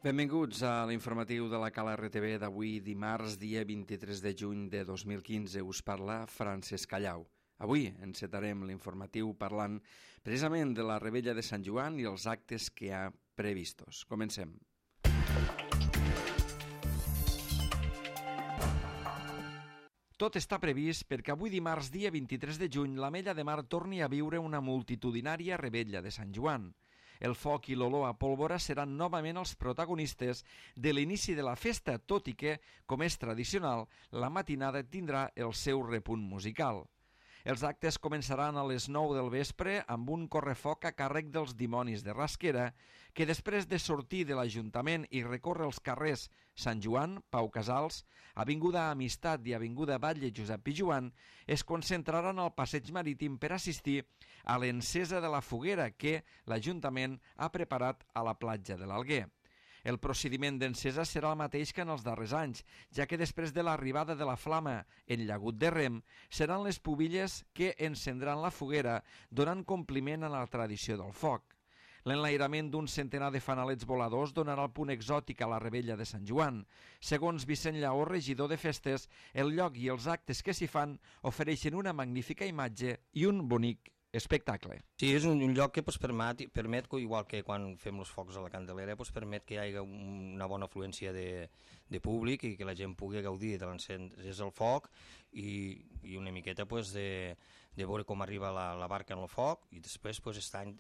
Benvinguts a l'informatiu de la Cala RTV d'avui, dimarts, dia 23 de juny de 2015. Us parla Francesc Callau. Avui encetarem l'informatiu parlant precisament de la Revetlla de Sant Joan i els actes que hi ha previstos. Comencem. Tot està previst perquè avui dimarts, dia 23 de juny, l'Ametlla de Mar torni a viure una multitudinària Revetlla de Sant Joan. El foc i l'olor a pólvora seran novament els protagonistes de l'inici de la festa, tot i que, com és tradicional, la matinada tindrà el seu repunt musical. Els actes començaran a les 9 del vespre amb un correfoc a càrrec dels Dimonis de Rasquera, que després de sortir de l'Ajuntament i recórrer els carrers Sant Joan, Pau Casals, Avinguda Amistat i Avinguda Batlle Josep Pijuan, es concentraran al passeig marítim per assistir a l'encesa de la foguera que l'Ajuntament ha preparat a la platja de l'Alguer. El procediment d'encesa serà el mateix que en els darrers anys, ja que després de l'arribada de la flama en llagut de Rem, seran les pubilles que encendran la foguera, donant compliment a la tradició del foc. L'enlairament d'un centenar de fanalets voladors donarà el punt exòtic a la Revetlla de Sant Joan. Segons Vicent Lleó, regidor de festes, el lloc i els actes que s'hi fan ofereixen una magnífica imatge i un bonic espectacle. Sí, és un lloc que permet, igual que quan fem els focs a la Candelera, permet que hi hagi una bona afluència de públic i que la gent pugui gaudir de l'encès del foc i una miqueta de veure com arriba la barca en el foc, i després aquest any,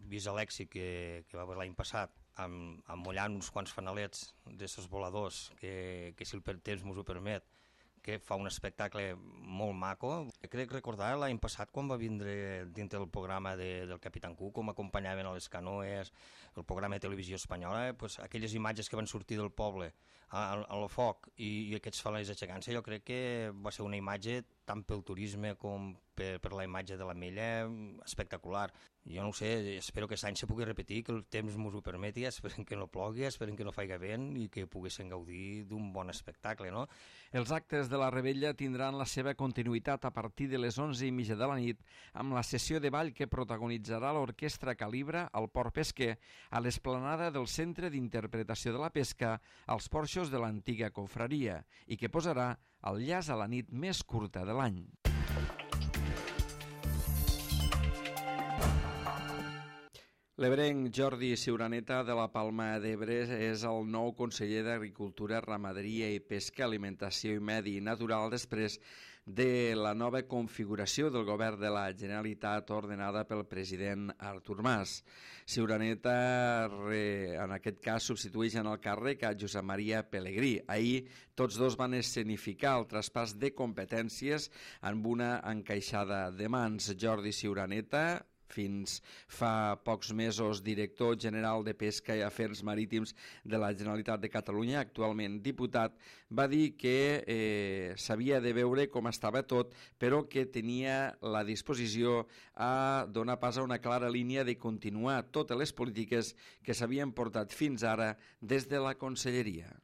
vist l'èxit que va haver l'any passat, emmollant uns quants fanalets d'aquests voladors, que si el temps ens ho permet, que fa un espectacle molt maco. Crec recordar l'any passat quan va vindre dintre del programa del Capitán Cook, com acompanyaven a les canoes, el programa de televisió espanyola, aquelles imatges que van sortir del poble al foc i aquests fanalets aixecant-se, jo crec que va ser una imatge tant pel turisme com per la imatge de l'Ametlla espectacular. Jo no ho sé, espero que aquest any se pugui repetir, que el temps ens ho permeti, esperem que no plogui, esperem que no faci vent i que poguessin gaudir d'un bon espectacle, no? Els actes de la Revetlla tindran la seva continuïtat a partir de les 11:30 de la nit amb la sessió de ball que protagonitzarà l'Orquestra Calibra al Port Pesquer a l'esplanada del Centre d'Interpretació de la Pesca als porxos de l'antiga confraria i que posarà el llaç a la nit més curta de l'any. L'ebrenc Jordi Ciuraneta de la Palma d'Ebre és el nou conseller d'Agricultura, Ramaderia i Pesca, Alimentació i Medi Natural després de la nova configuració del govern de la Generalitat ordenada pel president Artur Mas. Ciuraneta, en aquest cas, substitueix en el càrrec a Josep Maria Pelegrí. Ahir tots dos van escenificar el traspàs de competències amb una encaixada de mans. Jordi Ciuraneta, fins fa pocs mesos director general de Pesca i Afers Marítims de la Generalitat de Catalunya, actualment diputat, va dir que s'havia de veure com estava tot, però que tenia la disposició a donar pas a una clara línia de continuar totes les polítiques que s'havien portat fins ara des de la Conselleria.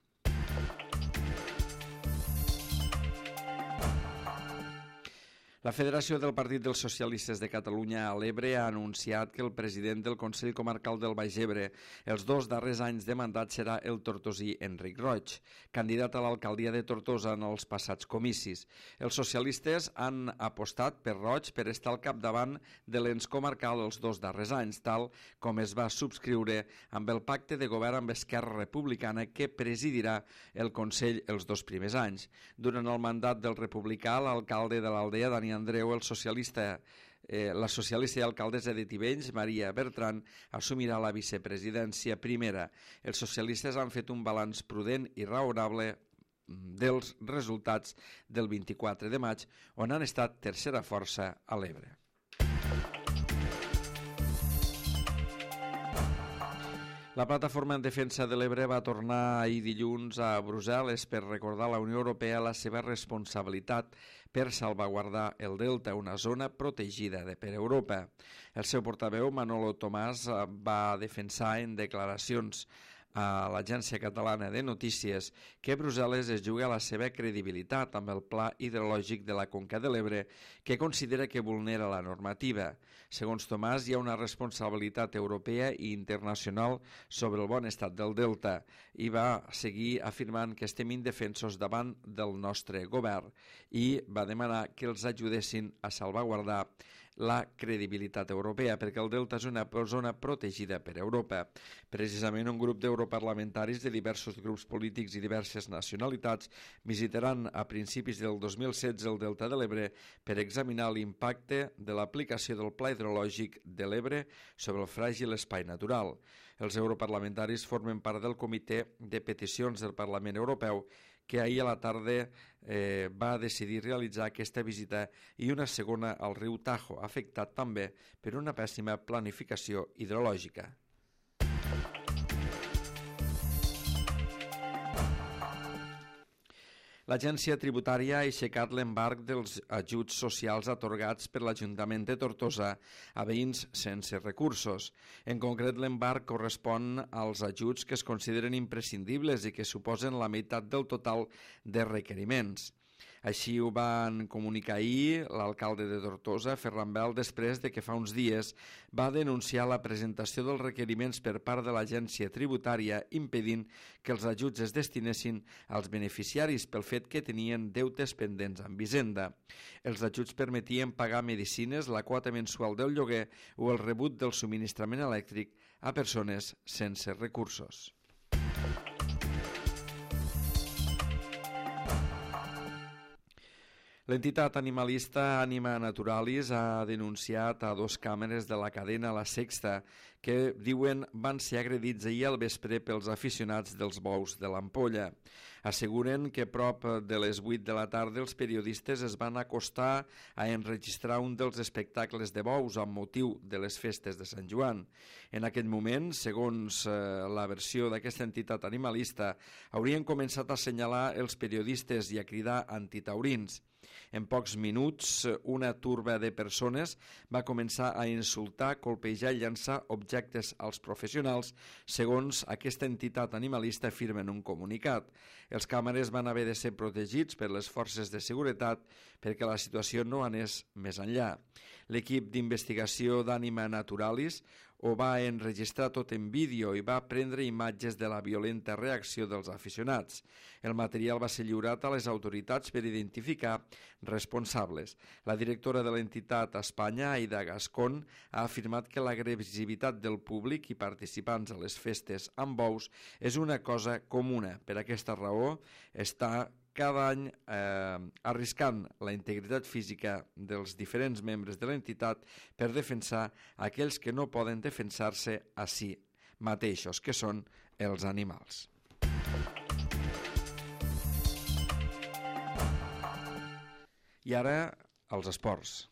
La Federació del Partit dels Socialistes de Catalunya a l'Ebre ha anunciat que el president del Consell Comarcal del Baix Ebre els 2 darrers anys de mandat serà el tortosí Enric Roig, candidat a l'alcaldia de Tortosa en els passats comicis. Els socialistes han apostat per Roig per estar al capdavant de l'ens comarcal els 2 darrers anys, tal com es va subscriure amb el pacte de govern amb Esquerra Republicana que presidirà el Consell els 2 primers anys. Durant el mandat del republicà, l'alcalde de l'Aldea, Dani Andreu, la socialista i alcaldessa de Tivenys, Maria Bertran, assumirà la vicepresidència primera. Els socialistes han fet un balanç prudent i raonable dels resultats del 24 de maig, on han estat tercera força a l'Ebre. La Plataforma en Defensa de l'Ebre va tornar ahir dilluns a Brussel·les per recordar a la Unió Europea la seva responsabilitat per salvaguardar el Delta, una zona protegida per Europa. El seu portaveu, Manolo Tomàs, va defensar en declaracions a l'Agència Catalana de Notícies que Brussel·les es juga la seva credibilitat amb el pla hidrològic de la Conca de l'Ebre, que considera que vulnera la normativa. Segons Tomàs, hi ha una responsabilitat europea i internacional sobre el bon estat del delta i va seguir afirmant que estem indefensos davant del nostre govern i va demanar que els ajudessin a salvaguardar la credibilitat europea, perquè el delta és una zona protegida per Europa. Precisament un grup d'europarlamentaris de diversos grups polítics i diverses nacionalitats visitaran a principis del 2016 el delta de l'Ebre per examinar l'impacte de l'aplicació del Pla Hidrològic de l'Ebre sobre el fràgil espai natural. Els europarlamentaris formen part del Comitè de Peticions del Parlament Europeu, que ahir a la tarda va decidir realitzar aquesta visita i una segona al riu Tajo, afectat també per una pèssima planificació hidrològica. L'Agència Tributària ha aixecat l'embarg dels ajuts socials atorgats per l'Ajuntament de Tortosa a veïns sense recursos. En concret, l'embarg correspon als ajuts que es consideren imprescindibles i que suposen la meitat del total de requeriments. Així ho van comunicar ahir l'alcalde de Tortosa, Ferran Bel, després de que fa uns dies va denunciar la presentació dels requeriments per part de l'agència tributària impedint que els ajuts es destinessin als beneficiaris pel fet que tenien deutes pendents amb Hisenda. Els ajuts permetien pagar medicines, la quota mensual del lloguer o el rebut del subministrament elèctric a persones sense recursos. L'entitat animalista Anima Naturalis ha denunciat a 2 càmeres de la cadena La Sexta que, diuen, van ser agredits ahir al vespre pels aficionats dels bous de l'Ampolla. Asseguren que prop de les 8 de la tarda els periodistes es van acostar a enregistrar un dels espectacles de bous amb motiu de les festes de Sant Joan. En aquest moment, segons la versió d'aquesta entitat animalista, haurien començat a assenyalar els periodistes i a cridar antitaurins. En pocs minuts, una turba de persones va començar a insultar, colpejar i llançar objectes als professionals, segons aquesta entitat animalista afirma en un comunicat. Els càmeres van haver de ser protegits per les forces de seguretat perquè la situació no anés més enllà. L'equip d'investigació d'Anima Naturalis ho va enregistrar tot en vídeo i va prendre imatges de la violenta reacció dels aficionats. El material va ser lliurat a les autoritats per identificar responsables. La directora de l'entitat a Espanya, Aida Gascón, ha afirmat que l'agressivitat del públic i participants a les festes amb bous és una cosa comuna. Per aquesta raó està cada any arriscant la integritat física dels diferents membres de l'entitat per defensar aquells que no poden defensar-se a si mateixos, que són els animals. I ara, els esports.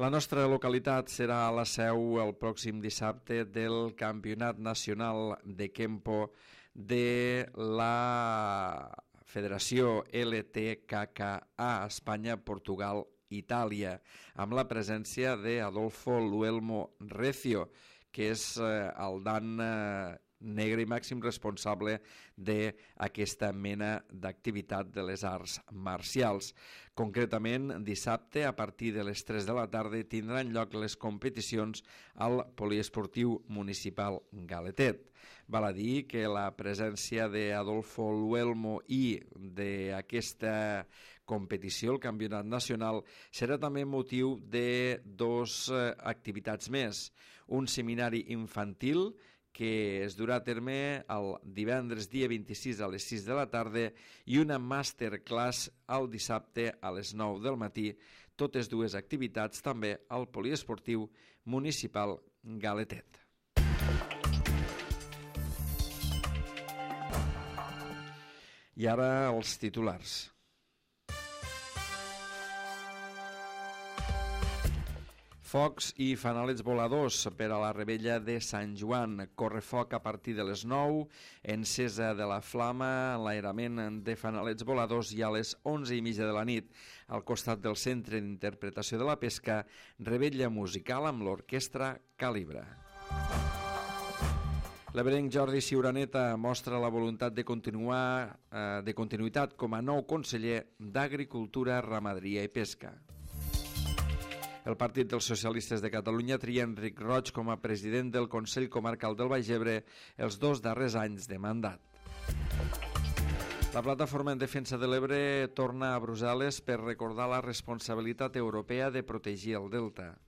La nostra localitat serà a la seu el pròxim dissabte del Campionat Nacional de Kempo de la Federació LTKKA Espanya, Portugal, Itàlia, amb la presència d'Adolfo Luelmo Recio, que és el dan negre i màxim responsable d'aquesta mena d'activitat de les arts marcials. Concretament, dissabte, a partir de les 3 de la tarda, tindran lloc les competicions al Poliesportiu Municipal Galetet. Val a dir que la presència d'Adolfo Luelmo i d'aquesta competició, el Campionat Nacional, serà també motiu de 2 activitats més. Un seminari infantil que es durà a terme el divendres dia 26 a les 6 de la tarda i una masterclass el dissabte a les 9 del matí, totes 2 activitats també al Poliesportiu Municipal Galetet. I ara els titulars. Focs i fanalets voladors per a la rebella de Sant Joan. Correfoc a partir de les 9, encesa de la flama, enlairament de fanalets voladors i a les 11:30 de la nit. Al costat del Centre d'Interpretació de la Pesca, rebella musical amb l'orquestra Calibre. L'ebrenc Jordi Ciuraneta mostra la voluntat de continuïtat com a nou conseller d'Agricultura, Ramaderia i Pesca. El Partit dels Socialistes de Catalunya tria Enric Roig com a president del Consell Comarcal del Baix Ebre els 2 darrers anys de mandat. La Plataforma en Defensa de l'Ebre torna a Brussel·les per recordar la responsabilitat europea de protegir el delta.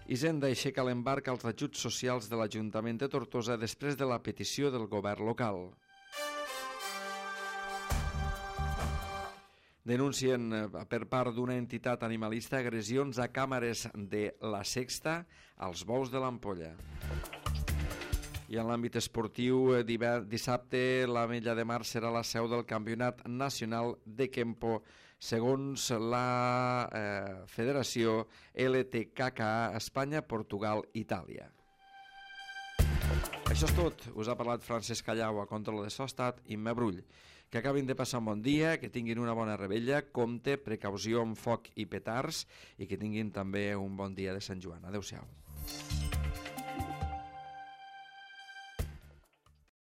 Hisenda aixeca l'embarc als ajuts socials de l'Ajuntament de Tortosa després de la petició del govern local. Denuncien per part d'una entitat animalista agressions a càmeres de La Sexta als bous de l'Ampolla. I en l'àmbit esportiu, dissabte l'Ametlla de Mar serà la seu del Campionat Nacional de Kempo, segons la Federació LTKKA Espanya, Portugal, Itàlia. Això és tot. Us ha parlat Francesc Callau, a control de so estat, Imma Brull. Que acabin de passar un bon dia, que tinguin una bona rebella, compte, precaució amb foc i petards i que tinguin també un bon dia de Sant Joan. Adéu-siau.